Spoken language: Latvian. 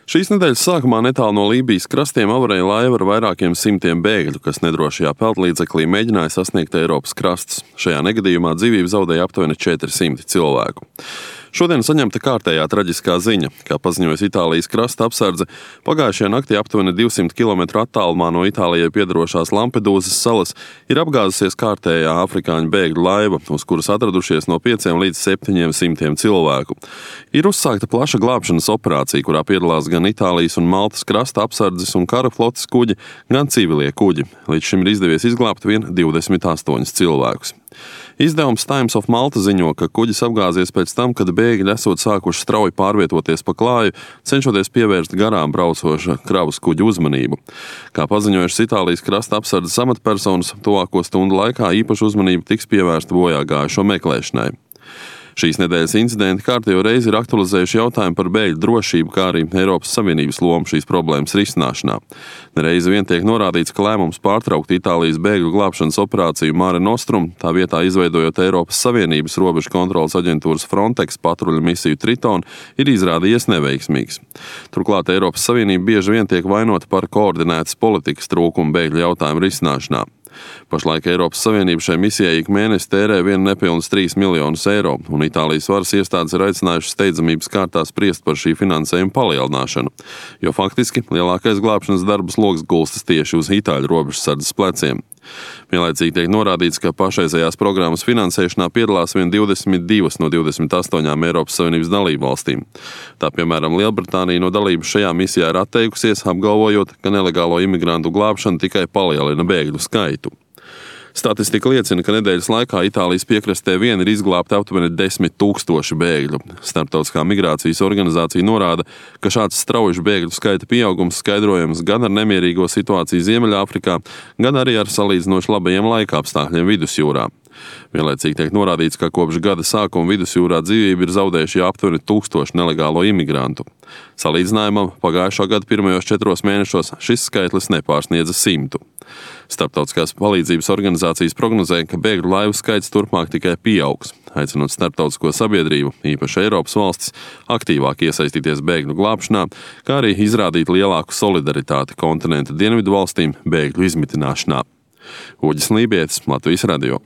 Šīs nedēļas sākumā netālu no Lībijas krastiem avarēja laiva ar vairākiem simtiem bēgļu, kas nedrošajā peldlīdzeklī mēģināja sasniegt Eiropas krastus. Šajā negadījumā dzīvību zaudēja aptuveni 400 cilvēku. Šodien saņemta kārtējā traģiskā ziņa, kā paziņojas Itālijas krasta apsardze. Pagājušajā naktī aptuveni 200 km attālumā no Itālijai piedarošās Lampedūzas salas ir apgāzusies kārtējā afrikāņu bēgļu laiva, uz kuras atradušies no 5 līdz 700 cilvēku. Ir uzsākta plaša glābšanas operācija, kurā piedalās gan Itālijas un Maltas krasta apsardzes un kara flotes kuģi, gan civilie kuģi. Līdz šim ir izdevies izglābt vien 28 cilvēkus. Izdevums Times of Malta ziņo, ka kuģis apgāzies pēc tam, kad bēgļi esot sākuši strauji pārvietoties pa klāju, cenšoties pievērst garām braucoša kravas kuģa uzmanību. Kā paziņojušas Itālijas krasta apsardzes amatpersonas, tuvāko stundu laikā īpaša uzmanība tiks pievērsta bojā gājušo meklēšanai. Šīs nedēļas incidenti kārtējo reizi ir aktualizējuši jautājumu par bēgļu drošību, kā arī Eiropas Savienības lomu šīs problēmas risināšanā. Nereizi vien tiek norādīts, ka lēmums pārtraukt Itālijas bēgļu glābšanas operāciju Mare Nostrum, tā vietā izveidojot Eiropas Savienības robežu kontroles aģentūras Frontex patruļu misiju Triton, ir izrādījies neveiksmīgs. Turklāt Eiropas Savienība bieži vien tiek vainota par koordinētas politikas trūkumu bēgļu jautājumu risināšanā. Pašlaik Eiropas Savienība šai misijai ik mēnesi tērē vien nepilnus 3 miljonus eiro, un Itālijas varas iestādes ir aicinājušas steidzamības kārtā spriest par šī finansējuma palielināšanu, jo faktiski lielākais glābšanas darbas loks gulstas tieši uz itāļu robežsardzes pleciem. Vienlaicīgi tiek norādīts, ka pašreizējās programmas finansēšanā piedalās vien 22 no 28 Eiropas Savienības dalībvalstīm. Tā piemēram Lielbritānija no dalības šajā misijā ir atteikusies, apgalvojot, ka nelegālo imigrantu glābšana tikai palielina bēgļu skaitu. Statistika liecina, ka nedēļas laikā Itālijas piekrastē vien ir izglābti aptuveni 10 000 bēgļu. Starptautiskā migrācijas organizācija norāda, ka šāds strauji bēgļu skaita pieaugums skaidrojams gan ar nemierīgo situāciju Ziemeļāfrikā, gan arī ar salīdzinoši labajiem laikapstākļiem Vidusjūrā. Vienlaicīgi tiek norādīts, ka kopš gada sākuma Vidusjūrā dzīvību ir zaudējuši jau aptuveni 1000 nelegālo imigrantu. Salīdzinājumam pagājušā gada pirmajos 4 mēnešos šis skaitlis nepārsniedza 100. Starptautiskās palīdzības organizācijas prognozē, ka bēgļu laivu skaits turpmāk tikai pieaugs, aicinot starptautisko sabiedrību, īpaši Eiropas valstis, aktīvāk iesaistīties bēgļu glābšanā, kā arī izrādīt lielāku solidaritāti kontinenta dienvidu valstīm bēgļu izmitināšanā. Uģis Lībietis, Latvijas radio.